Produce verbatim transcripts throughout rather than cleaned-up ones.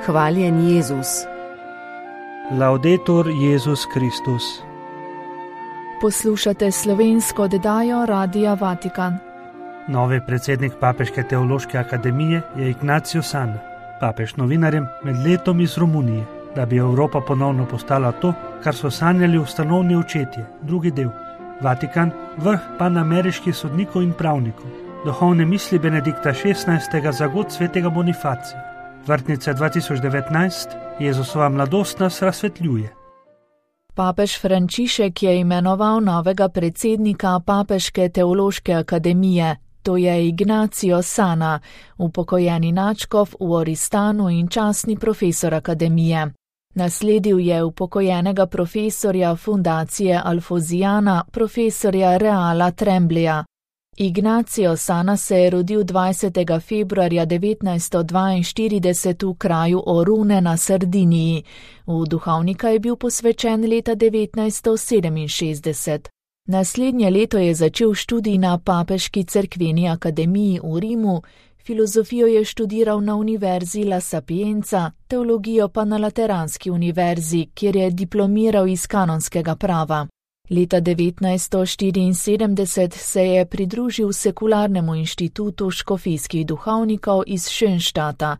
Hvaljen Jezus. Laudetur Jezus Kristus. Poslušate slovensko oddajo Radia Vatikan. Novi predsednik Papeške teološke akademije je Ignacio Sana. Papež novinarjem med letom iz Romunije, da bi Evropa ponovno postala to, kar so sanjali ustanovni očetje, drugi del. Vatikan, vrh panameriških sodnikov in pravnikov. Duhovne misli Benedikta šestnajstega za god svetega Bonifacija. Vrtnica dva tisoč devetnajst, Jezusova mladost nas razsvetljuje. Papež Frančišek je imenoval novega predsednika Papeške teološke akademije, to je Ignacio Sana, upokojeni nadškof v Oristanu in častni profesor akademije. Nasledil je upokojenega profesorja fundacije Alfozijana, profesorja Reala Trembleja. Ignacio Sana se je rodil dvajsetega februarja devetnajststo dvainštirideset v kraju Orune na Sardiniji. V duhovnika je bil posvečen leta devetnajststo sedeminšestdeset. Naslednje leto je začel študij na Papeški cerkveni akademiji v Rimu, filozofijo je študiral na Univerzi La Sapienza, teologijo pa na Lateranski univerzi, kjer je diplomiral iz kanonskega prava. Leta devetnajststo štiriinsedemdeset se je pridružil sekularnemu inštitutu škofijskih duhovnikov iz Schönstadta.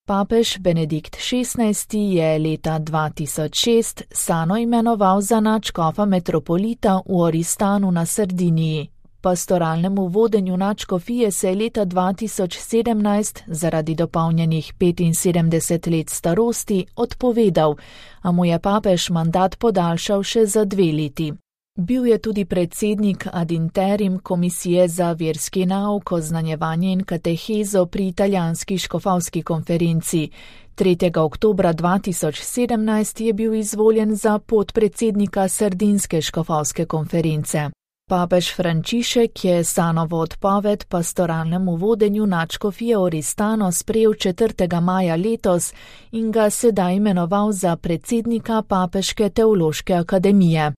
Papež Benedikt šestnajsti je leta dva tisoč šest Sano imenoval za nadškofa metropolita v Oristanu na Sardiniji. Pastoralnemu vodenju nadškofije se je leta dva tisoč sedemnajst zaradi dopolnjenih petinsedemdeset let starosti odpovedal, a mu je papež mandat podaljšal še za dve leti. Bil je tudi predsednik ad interim komisije za verski nauk, oznanjevanje in katehezo pri italijanski škofovski konferenci. tretjega oktobra dva tisoč sedemnajst je bil izvoljen za podpredsednika Sardinske škofovske konference. Papež Frančišek je Sanovo odpoved pastoralnemu vodenju nadškofije Oristano sprejel četrtega maja letos in ga sedaj imenoval za predsednika Papeške teološke akademije.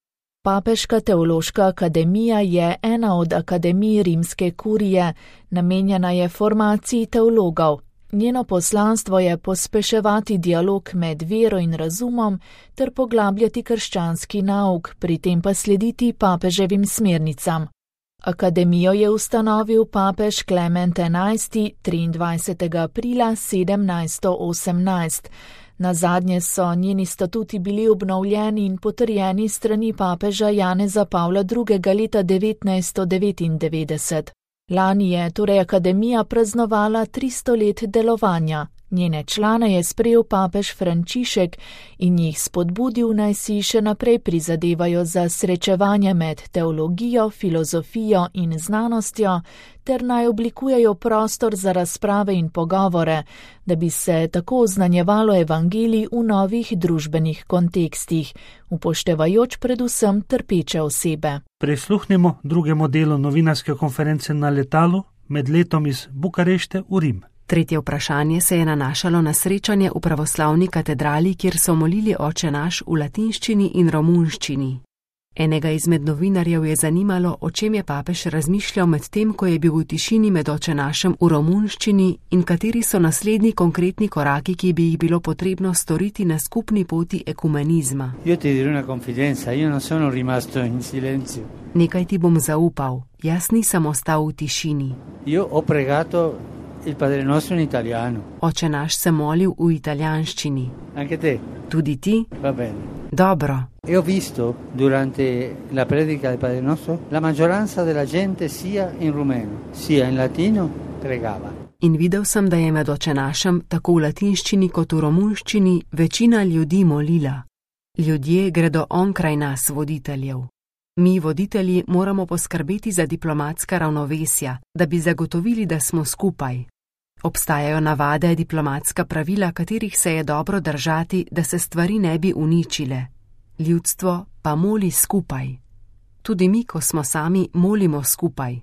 Papeška teološka akademija je ena od akademij rimske kurije, namenjena je formaciji teologov. Njeno poslanstvo je pospeševati dialog med vero in razumom ter poglabljati krščanski nauk, pri tem pa slediti papeževim smernicam. Akademijo je ustanovil papež Klement enajsti triindvajsetega aprila sedemnajststo osemnajst. Nazadnje so njeni statuti bili obnovljeni in potrjeni strani papeža Janeza Pavla drugega leta devetnajststo devetindevetdeset. Lani je torej akademija praznovala tristo let delovanja. Njene člane je sprejel papež Frančišek in jih spodbudil, naj si še naprej prizadevajo za srečevanje med teologijo, filozofijo in znanostjo, ter naj oblikujejo prostor za razprave in pogovore, da bi se tako oznanjevalo evangelij v novih družbenih kontekstih, upoštevajoč predvsem trpeče osebe. Prisluhnimo drugemu delu novinarske konference na letalu med letom iz Bukarešte v Rim. Tretje vprašanje se je nanašalo na srečanje v pravoslavni katedrali, kjer so molili Oče naš v latinščini in romunščini. Enega izmed novinarjev je zanimalo, o čem je papež razmišljal med tem, ko je bil v tišini med Oče našem v romunščini in kateri so naslednji konkretni koraki, ki bi jih bilo potrebno storiti na skupni poti ekumenizma. Io ti dirò una confidenza, io non sono rimasto in silenzio. Nekaj ti bom zaupal, jaz nisem ostal v tišini. Io ho pregato il Padre Nostro in italiano. Oče naš se molil v italijanščini. Anche te? Tudi ti? Va bene. Dobro. E ho visto durante la predica del Padre Nostro la maggioranza della gente sia in rumeno sia in latino pregava. In videl sem, da je med Oče našem tako v latinščini kot v romunščini večina ljudi molila. Ljudje gredo onkraj nas, voditeljev. Mi, voditelji, moramo poskrbeti za diplomatska ravnovesja, da bi zagotovili, da smo skupaj. Obstajajo navade, diplomatska pravila, katerih se je dobro držati, da se stvari ne bi uničile. Ljudstvo pa moli skupaj. Tudi mi, ko smo sami, molimo skupaj.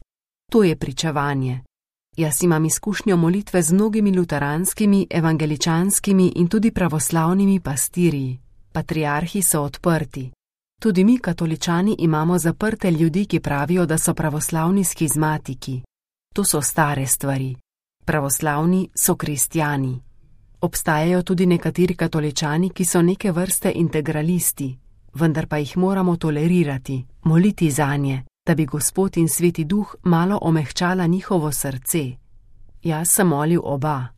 To je pričevanje. Jaz imam izkušnjo molitve z mnogimi luteranskimi, evangeličanskimi in tudi pravoslavnimi pastirji. Patriarhi so odprti. Tudi mi, katoličani, imamo zaprte ljudi, ki pravijo, da so pravoslavni schizmatiki. To so stare stvari. Pravoslavni so kristjani. Obstajajo tudi nekateri katoličani, ki so neke vrste integralisti, vendar pa jih moramo tolerirati, moliti zanje, da bi Gospod in Sveti Duh malo omehčala njihovo srce. Jaz sem molil oba.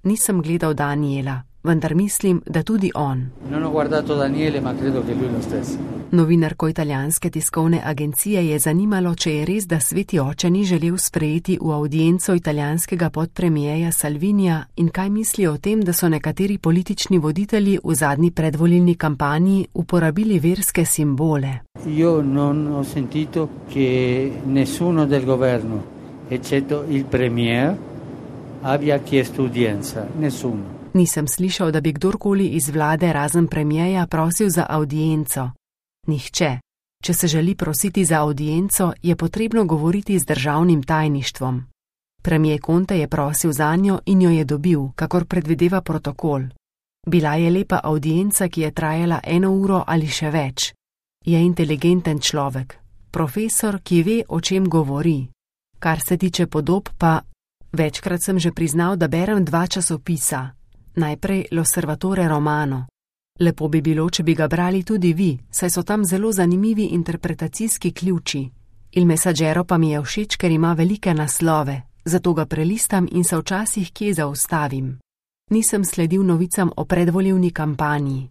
Nisem gledal Daniela, vendar mislim, da tudi on. Non ho guardato Daniele, ma credo che lui lo stesso. Novinarko italijanske tiskovne agencije je zanimalo, če je res, da Sveti oče ni želel sprejeti v avdienco italijanskega podpremijeja Salvinija in kaj misli o tem, da so nekateri politični voditelji v zadnji predvolilni kampanji uporabili verske simbole. Io non ho sentito che nessuno del governo, eccetto il premier, abbia chiesto udienza. Nessuno. Nisem slišal, da bi kdorkoli iz vlade razen premijeja prosil za audienco. Nihče. Če se želi prositi za audienco, je potrebno govoriti z državnim tajništvom. Premijer Conte je prosil zanjo in jo je dobil, kakor predvideva protokol. Bila je lepa audienca, ki je trajala eno uro ali še več. Je inteligenten človek, profesor, ki ve, o čem govori. Kar se tiče podob pa, večkrat sem že priznal, da berem dva časopisa. Najprej L'Osservatore Romano. Lepo bi bilo, če bi ga brali tudi vi, saj so tam zelo zanimivi interpretacijski ključi. Il Messaggero pa mi je všeč, ker ima velike naslove, zato ga prelistam in se včasih kje zaustavim. Nisem sledil novicam o predvolilni kampanji.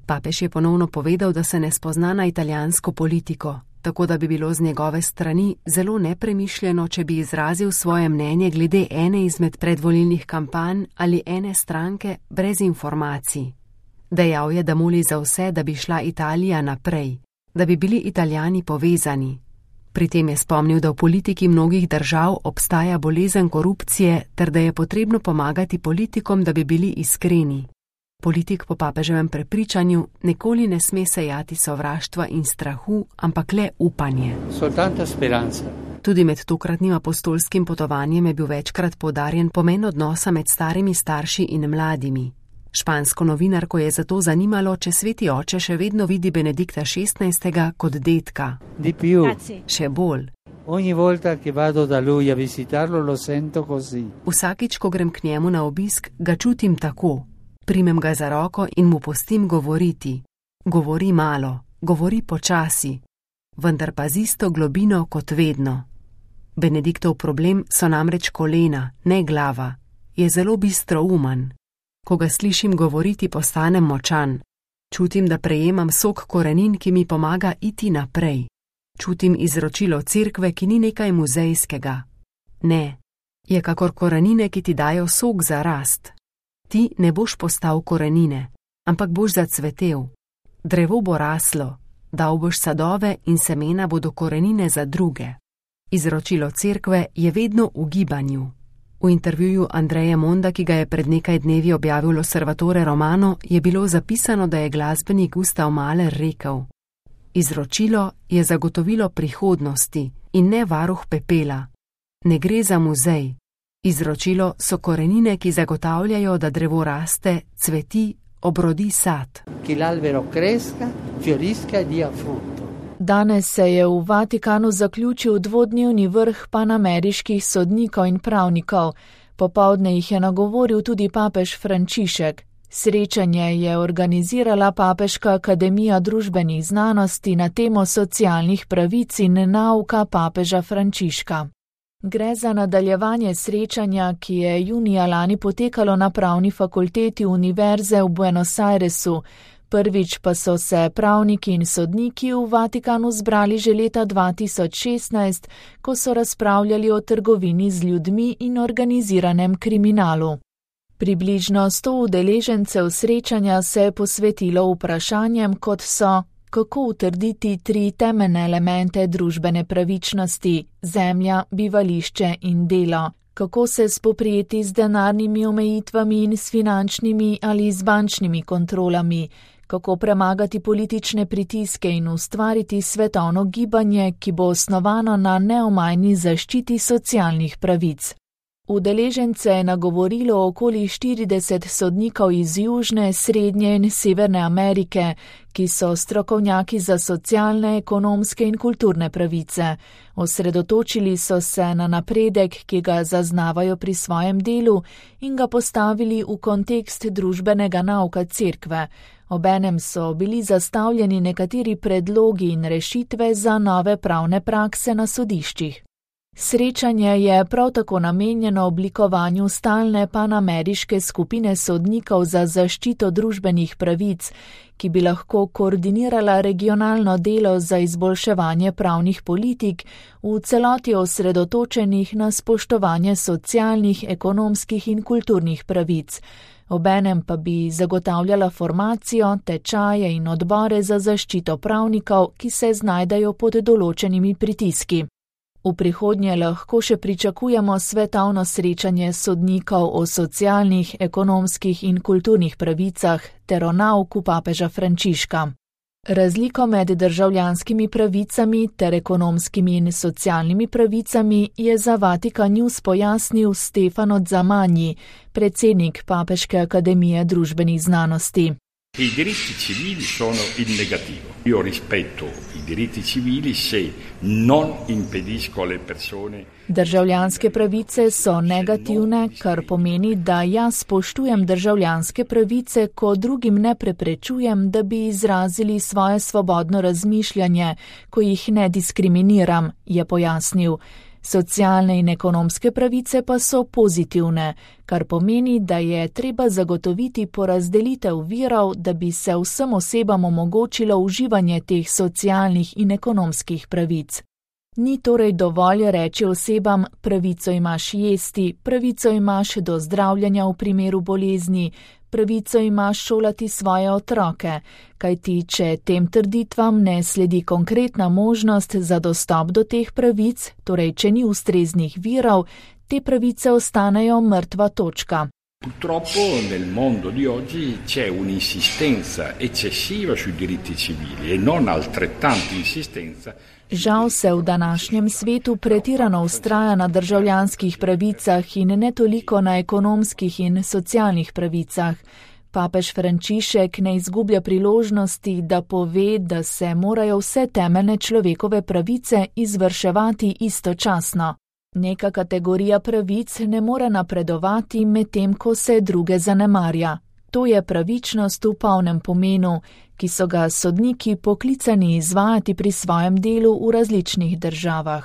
Papež je ponovno povedal, da se ne spozna na italijansko politiko, tako da bi bilo z njegove strani zelo nepremišljeno, če bi izrazil svoje mnenje glede ene izmed predvolilnih kampanj ali ene stranke brez informacij. Dejal je, da moli za vse, da bi šla Italija naprej, da bi bili Italijani povezani. Pri tem je spomnil, da v politiki mnogih držav obstaja bolezen korupcije ter da je potrebno pomagati politikom, da bi bili iskreni. Politik po papeževem prepričanju nikoli ne sme sejati sovraštva in strahu, ampak le upanje. Soltanto speranza. Tudi med tokratnim apostolskim potovanjem je bil večkrat poudarjen pomen odnosa med starimi starši in mladimi. Špansko novinarko je zato zanimalo, če Sveti oče še vedno vidi Benedikta šestnajstega kot dedka. Di più. Še bolj. Ogni volta che vado da lui a visitarlo lo sento così. Vsakič, ko grem k njemu na obisk, ga čutim tako. Primem ga za roko in mu pustim govoriti. Govori malo, govori počasi, vendar pa z isto globino kot vedno. Benediktov problem so namreč kolena, ne glava. Je zelo bistroumen. Ko ga slišim govoriti, postanem močan. Čutim, da prejemam sok korenin, ki mi pomaga iti naprej. Čutim izročilo cerkve, ki ni nekaj muzejskega. Ne, je kakor korenine, ki ti dajo sok za rast. Ti ne boš postal korenine, ampak boš zacvetel. Drevo bo raslo, dal boš sadove in semena bodo korenine za druge. Izročilo cerkve je vedno v gibanju. V intervjuju Andreja Monda, ki ga je pred nekaj dnevi objavil L'Osservatore Romano, je bilo zapisano, da je glasbenik Gustav Mahler rekel: Izročilo je zagotovilo prihodnosti in ne varuh pepela. Ne gre za muzej. Izročilo so korenine, ki zagotavljajo, da drevo raste, cveti, obrodi sad. Che l'albero cresca, fiorisca e dia frutto. Danes se je v Vatikanu zaključil dvodnevni vrh panameriških sodnikov in pravnikov. Popoldne jih je nagovoril tudi papež Frančišek. Srečanje je organizirala Papeška akademija družbenih znanosti na temo socialnih pravic in nauka papeža Frančiška. Gre za nadaljevanje srečanja, ki je junija lani potekalo na pravni fakulteti Univerze v Buenos Airesu. Prvič pa so se pravniki in sodniki v Vatikanu zbrali že leta dva tisoč šestnajst, ko so razpravljali o trgovini z ljudmi in organiziranem kriminalu. Približno sto udeležencev srečanja se je posvetilo vprašanjem, kot so: kako utrditi tri temeljne elemente družbene pravičnosti, zemlja, bivališče in delo, kako se spoprijeti z denarnimi omejitvami in s finančnimi ali z bančnimi kontrolami, kako premagati politične pritiske in ustvariti svetovno gibanje, ki bo osnovano na neomajni zaščiti socialnih pravic. Udeležence je nagovorilo okoli štirideset sodnikov iz Južne, Srednje in Severne Amerike, ki so strokovnjaki za socialne, ekonomske in kulturne pravice. Osredotočili so se na napredek, ki ga zaznavajo pri svojem delu, in ga postavili v kontekst družbenega nauka cerkve. Obenem so bili zastavljeni nekateri predlogi in rešitve za nove pravne prakse na sodiščih. Srečanje je prav tako namenjeno oblikovanju stalne panameriške skupine sodnikov za zaščito družbenih pravic, ki bi lahko koordinirala regionalno delo za izboljševanje pravnih politik v celoti osredotočenih na spoštovanje socialnih, ekonomskih in kulturnih pravic. Obenem pa bi zagotavljala formacijo, tečaje in odbore za zaščito pravnikov, ki se znajdejo pod določenimi pritiski. V prihodnje lahko še pričakujemo svetovno srečanje sodnikov o socialnih, ekonomskih in kulturnih pravicah ter o nauku papeža Frančiška. Razliko med državljanskimi pravicami ter ekonomskimi in socialnimi pravicami je za Vatikan News pojasnil Stefano Zamanji, predsednik Papeške akademije družbenih znanosti. I diritti civili sono in negativo. Io rispetto i diritti civili se non impedisco alle persone. Državljanske pravice so negativne, kar pomeni, da jaz spoštujem državljanske pravice, ko drugim ne preprečujem, da bi izrazili svoje svobodno razmišljanje, ko jih ne diskriminiram, je pojasnil. Socialne in ekonomske pravice pa so pozitivne, kar pomeni, da je treba zagotoviti porazdelitev virov, da bi se vsem osebam omogočilo uživanje teh socialnih in ekonomskih pravic. Ni torej dovolj reči osebam, pravico imaš jesti, pravico imaš do zdravljenja v primeru bolezni, pravico imaš šolati svoje otroke, kajti če tem trditvam ne sledi konkretna možnost za dostop do teh pravic, torej če ni ustreznih virov, te pravice ostanejo mrtva točka. Purtroppo nel mondo di oggi c'è un'insistenza eccessiva sui diritti civili e non altrettanta insistenza. Žal se v današnjem svetu pretirano vztraja na državljanskih pravicah in ne toliko na ekonomskih in socialnih pravicah. Papež Frančišek ne izgublja priložnosti, da pove, da se morajo vse temeljne človekove pravice izvrševati istočasno. Neka kategorija pravic ne more napredovati, medtem ko se druge zanemarja. To je pravičnost v polnem pomenu, ki so ga sodniki poklicani izvajati pri svojem delu v različnih državah.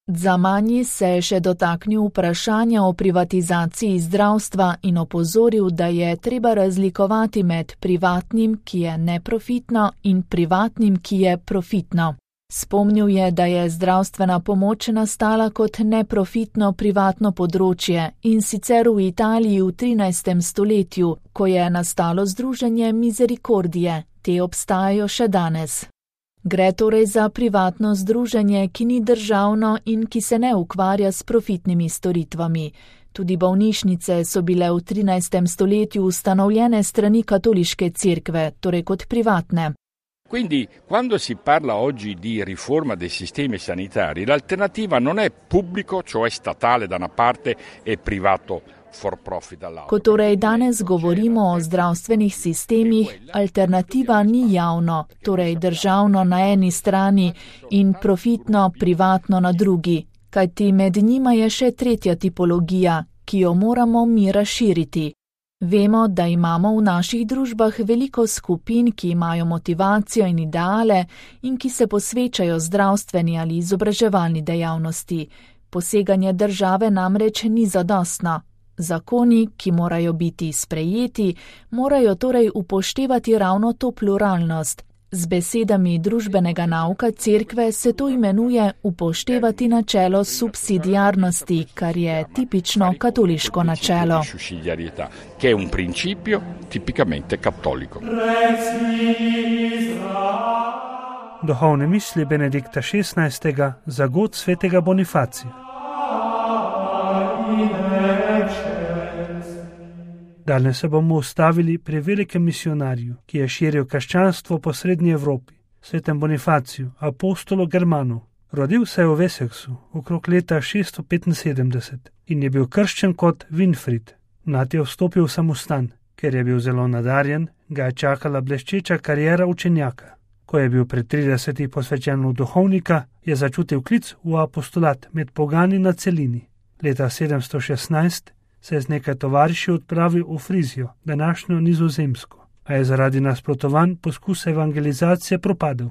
Zamanji se je še dotaknil vprašanja o privatizaciji zdravstva in opozoril, da je treba razlikovati med privatnim, ki je neprofitno, in privatnim, ki je profitno. Spomnil je, da je zdravstvena pomoč nastala kot neprofitno privatno področje in sicer v Italiji v trinajstem stoletju, ko je nastalo združenje Misericordije, te obstajajo še danes. Gre torej za privatno združenje, ki ni državno in ki se ne ukvarja s profitnimi storitvami. Tudi bolnišnice so bile v trinajstem stoletju ustanovljene strani katoliške cerkve, torej kot privatne. Quindi, quando si parla oggi di riforma dei sistemi sanitari, l'alternativa non è pubblico, cioè statale da una parte, e privato for profit dall'altra. Ko torej danes govorimo o zdravstvenih sistemih, alternativa ni javno, torej državno na eni strani in profitno, privatno na drugi, kajti med njima je še tretja tipologija, ki jo moramo mi razširiti. Vemo, da imamo v naših družbah veliko skupin, ki imajo motivacijo in ideale in ki se posvečajo zdravstveni ali izobraževalni dejavnosti. Poseganje države namreč ni zadostno. Zakoni, ki morajo biti sprejeti, morajo torej upoštevati ravno to pluralnost. Z besedami družbenega nauka cerkve se to imenuje upoštevati načelo subsidiarnosti, kar je tipično katoliško načelo. Che è un principio tipicamente cattolico. Duhovne misli Benedikta šestnajstega za god svetega Bonifacija. Danes se bomo ustavili pri velikem misionarju, ki je širil krščanstvo po srednji Evropi, svetem Bonifaciju, apostolu Germanu. Rodil se je v Wessexu okrog leta šeststo petinsedemdeset in je bil krščen kot Winfried. Mlad je vstopil v samostan. Ker je bil zelo nadarjen, ga je čakala bleščeča kariera učenjaka. Ko je bil pri tridesetih posvečen v duhovnika, je začutil klic v apostolat med pogani na celini. Leta sedemsto šestnajst se je z nekaj tovariši odpravil v Frizijo, današnjo Nizozemsko, a je zaradi nasprotovanj poskus evangelizacije propadel.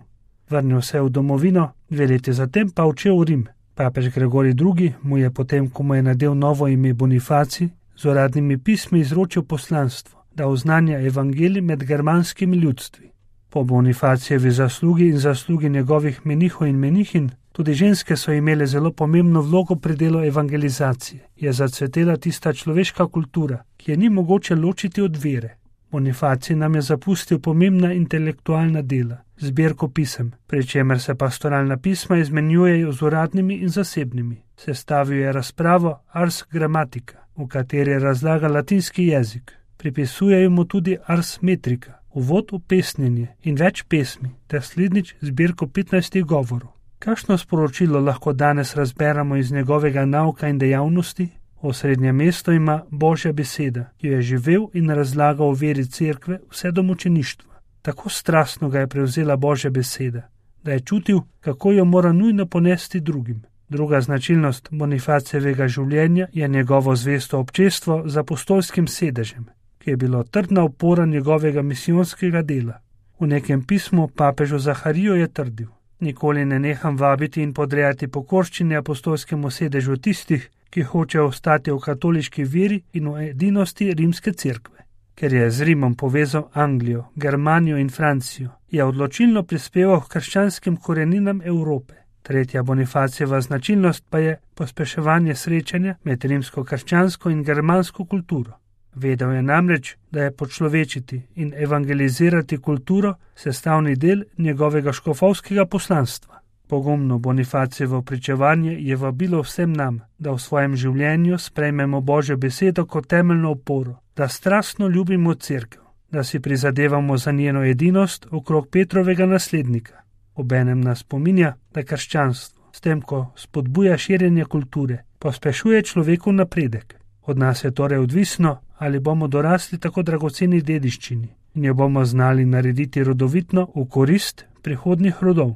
Vrnil se je v domovino, dve leti zatem pa odšel v Rim. Papež Gregorij drugi mu je potem, ko mu je nadel novo ime Bonifacij, z uradnimi pismi izročil poslanstvo, da oznanja evangelij med germanskimi ljudstvi. Po Bonifacijevi zaslugi in zaslugi njegovih menihov in menihin, tudi ženske so imele zelo pomembno vlogo pri delu evangelizacije, je zacvetela tista človeška kultura, ki je ni mogoče ločiti od vere. Bonifacij nam je zapustil pomembna intelektualna dela, zbirko pisem, pri čemer se pastoralna pisma izmenjujejo z uradnimi in zasebnimi. Sestavil je razpravo Ars Grammatica, v kateri razlaga latinski jezik. Pripisujejo mu tudi Ars Metrica, uvod v pesnjenje in več pesmi, ter slednjič zbirko petnajstih govorov. Kakšno sporočilo lahko danes razberemo iz njegovega nauka in dejavnosti? Osrednje mesto ima Božja beseda, ki jo je živel in razlagal o veri cerkve vse do mučeništva. Tako strastno ga je prevzela Božja beseda, da je čutil, kako jo mora nujno ponesti drugim. Druga značilnost Bonifacijevega življenja je njegovo zvesto občestvo z apostolskim sedežem, ki je bilo trdna opora njegovega misijonskega dela. V nekem pismu papežu Zahariju je trdil: nikoli ne neham vabiti in podrejati pokorščine apostolskemu sedežu tistih, ki hočejo ostati v katoliški veri in v edinosti rimske cerkve. Ker je z Rimom povezal Anglijo, Germanijo in Francijo, je odločilno prispeval k krščanskim koreninam Evrope. Tretja Bonifacijeva značilnost pa je pospeševanje srečanja med rimsko-krščansko in germansko kulturo. Vedel je namreč, da je počlovečiti in evangelizirati kulturo sestavni del njegovega škofovskega poslanstva. Pogumno Bonifacijevo pričevanje je vabilo vsem nam, da v svojem življenju sprejmemo Božjo besedo kot temeljno oporo, da strastno ljubimo cerkev, da si prizadevamo za njeno edinost okrog Petrovega naslednika. Obenem nas spominja, da krščanstvo, s tem, ko spodbuja širjenje kulture, pospešuje človekov napredek. Od nas je torej odvisno, ali bomo dorasli tako dragoceni dediščini in jo bomo znali narediti rodovitno v korist prihodnjih rodov.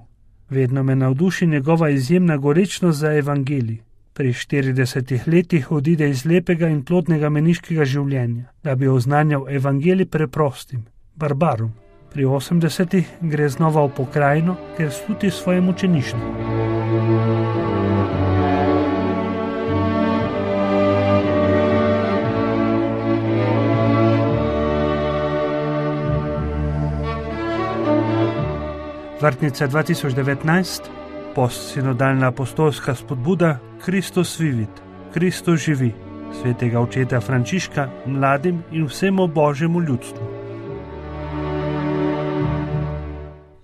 Vedno me navduši njegova izjemna gorečnost za evangelij. Pri štiridesetih letih odide iz lepega in plodnega meniškega življenja, da bi oznanjal evangelij preprostim, barbarom. Pri osemdesetih gre znova v pokrajino, ker sluti svojem učeništvu. Vrtnica dva tisoč devetnajst, postsinodalna apostolska spodbuda Kristus vivit, Kristus živi, svetega očeta Frančiška mladim in vsemu Božjemu ljudstvu.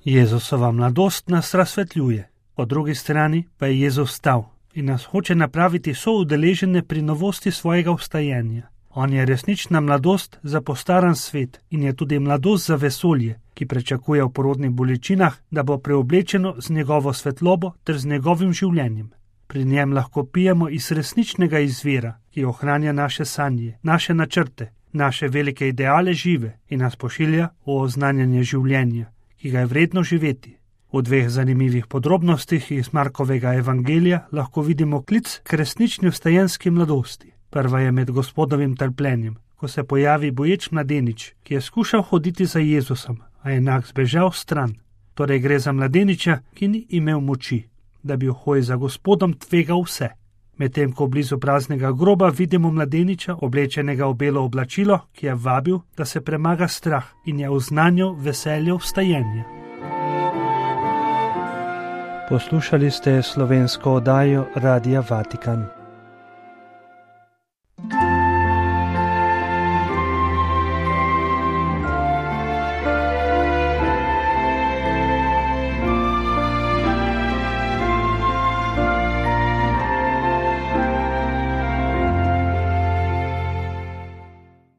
Jezusova mladost nas razsvetljuje, po drugi strani pa je Jezus stal in nas hoče napraviti soudeležene pri novosti svojega vstajenja. On je resnična mladost za postaran svet in je tudi mladost za vesolje, ki prečakuje v porodnih bolečinah, da bo preoblečeno z njegovo svetlobo ter z njegovim življenjem. Pri njem lahko pijemo iz resničnega izvira, ki ohranja naše sanje, naše načrte, naše velike ideale žive in nas pošilja v oznanjanje življenja, ki ga je vredno živeti. V dveh zanimivih podrobnostih iz Markovega evangelija lahko vidimo klic k resnični vstajenski mladosti. Prva je med Gospodovim trpljenjem, ko se pojavi boječ mladenič, ki je skušal hoditi za Jezusom, a je enak zbežal stran. Torej gre za mladeniča, ki ni imel moči, da bi v hoji za Gospodom tvegal vse. Medtem ko blizu praznega groba vidimo mladeniča, oblečenega v belo oblačilo, ki je vabil, da se premaga strah in je oznanjal veselje vstajenja. Poslušali ste slovensko oddajo Radia Vatikan.